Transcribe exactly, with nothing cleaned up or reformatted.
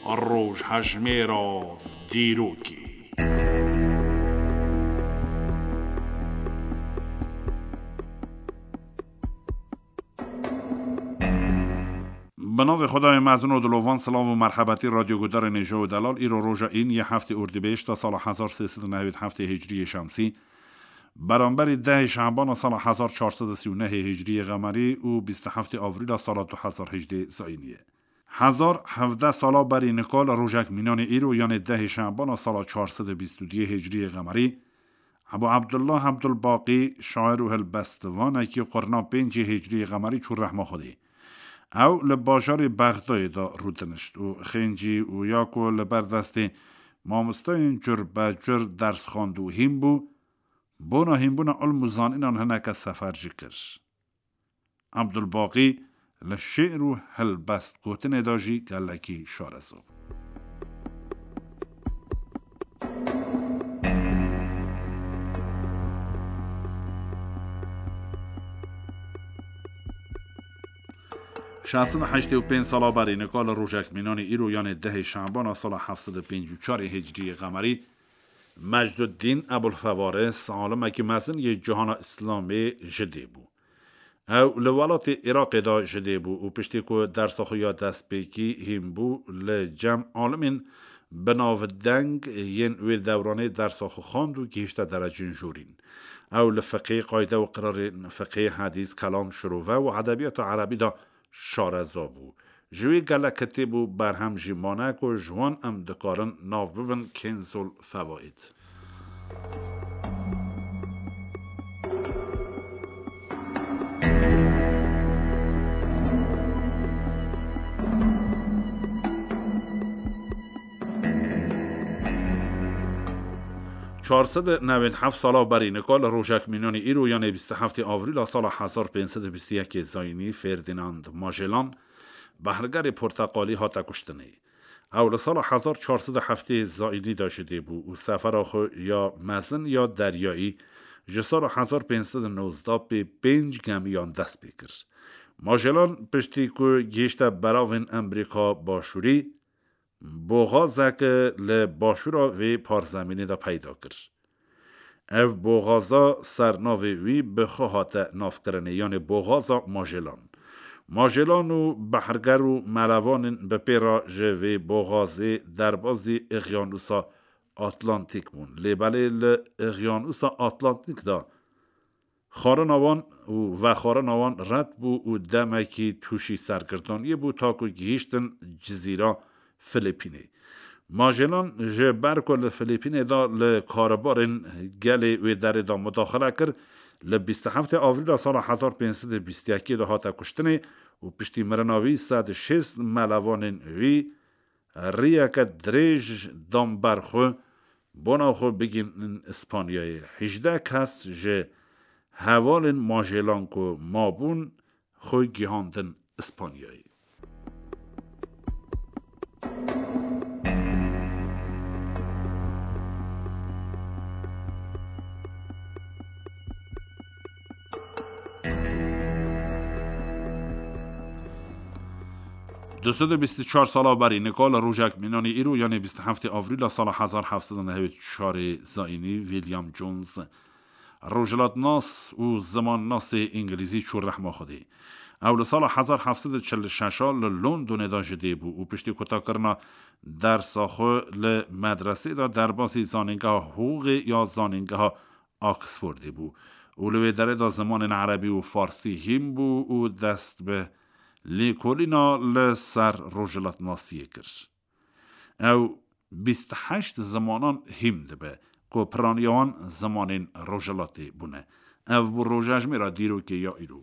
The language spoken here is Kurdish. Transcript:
Rojhejmêra dîrokê. Bi navê Xwedayê mezin û dilovan, silav û merhebetî radyogudarên hêja û delal. Îro roja în yê heftê Ordîbêşta sala hezar sê sed û newêd heftê Hicriyê Şemsî, beramberî dehê Şebana sala hezar çar sed û sî û nehê Hicriyê Xemerî û bîst û heftê Avrîla sala du hezar hejdê Zayînî ye. Hezar hevdeh sala berî nika li rojek mînanê îro, yanê dehê Şebana sala çar sed û bîst û duyê Hicriyê Xemerî, Ebû Ebdullah Ebdulbaqî, şair û hilbestvanekî qurna pêncê Hicriyê Xemerî çû rehma Xwedê. Ew li bajarê Bexdayê de rûdinişt û xêncî û ya ku li ber destê mamosteyên cur be cur ders xwend û hîn bû, bona hînbûna ilm û zanînan hineke sefer jî kir. Ebdulbaqî li şê'r û helbest gotinê de jî gelekî şareza bû. Şeş sed û heştê û pênc sala berî nika li rojek mînanê îro, yanê dehê Şebana sala heft sed û pêncî û çarê Hicriyê Xemerî, Mecduddîn Ebulfewaris, alimekî mezin yê cihana Îslamê ji dê bû. Ew li welatê Iraqê de ji dê bû û piştî ku dersa xwe ya destpêkî hîn bû, li cem alimên binavdeng yên wê dewranê dersa xwe xwend û gihişte derecên jorîn. Ew li fiqê, qayde û qirarên fiqê, hedîs, kelam, şirove û edebiyata erebî de şareza bû. Ji wî gelek kitêb û berhem jî mane ku ji wan em dikarin nav bibin Kenzul Fewaid. Çar sed û newêd heft sala berî nika li rojek mînanî îro, yanê bîst û heftê Avrîla sala hezar pênc sed û bîst û yekê Zayînî, Ferdinand Magellan, behrgerê porteqalî hate kuştinê. Ew li sala hezar çar sed û heftê Zayînî de ji dê bû û sefera xwe ya mezin ya deryayî ji sala hezar pênc sed û nozdeh pê pênc gemiyan dest pê kir. Magellan piştî ku gihişte beravên Emrîka Başûrî, boxazek li başûra vê parzemînê de peyda kir. Ev boxaza ser navê wî bi xwe hate navkirinê, yanê boxaza Magellan. Magellan û behrger û melevanên bi pê re ji vê boxazê derbazî Îqyanûsa Atlantîk bûn. Lê belê li Îqyanûsa Atlantîk de xwarina wan û vexwarina wan red bû û demekî tûşî sergirdaniyê bû, ta ku gihîştin cizîra Filipînê. Magellan ji ber ku li Filipînê de li karûbarên gelê wê derê de mudaxile kir, li bîst û heftê Avrîla sala hezar pênc sed û bîst û yekê de hate kuştinê û piştî mirina wî sed û şêst melevanên wî riyeke dirêj dan ber xwe, bona xwe bigihînin Îspanyayê. Hejdeh kes ji hevalên Magellan ku mabûn, xwe gihandin Îspanyayê. Du sed û bîst û çar sala berî nika li rojek mînanî îro, yanê bîst û heftê Avrîla sala hezar heft sed û newêd û çarê Zayînî, William Jones, rojhilatnas û zimannasê îngilîzî çû rehma Xwedê. Ew li sala hezar heft sed û çil û şeş a li Londonê de ji dê bû û piştî kutakirina dersa xwe li medresê de derbasî zanîngeha hiqûqê ya zanîngeha Oxfordê bû û li wê derê de zimanên erebî û farsî hîn bû û dest bi lêkolîna li ser rojhilatnasiyê kir. Ew bîst û heşt zimanan hîn dibe, ku piraniya wan zimanên rojhilatê bûne. Ev bû rojejmêra dîrokê ya îro.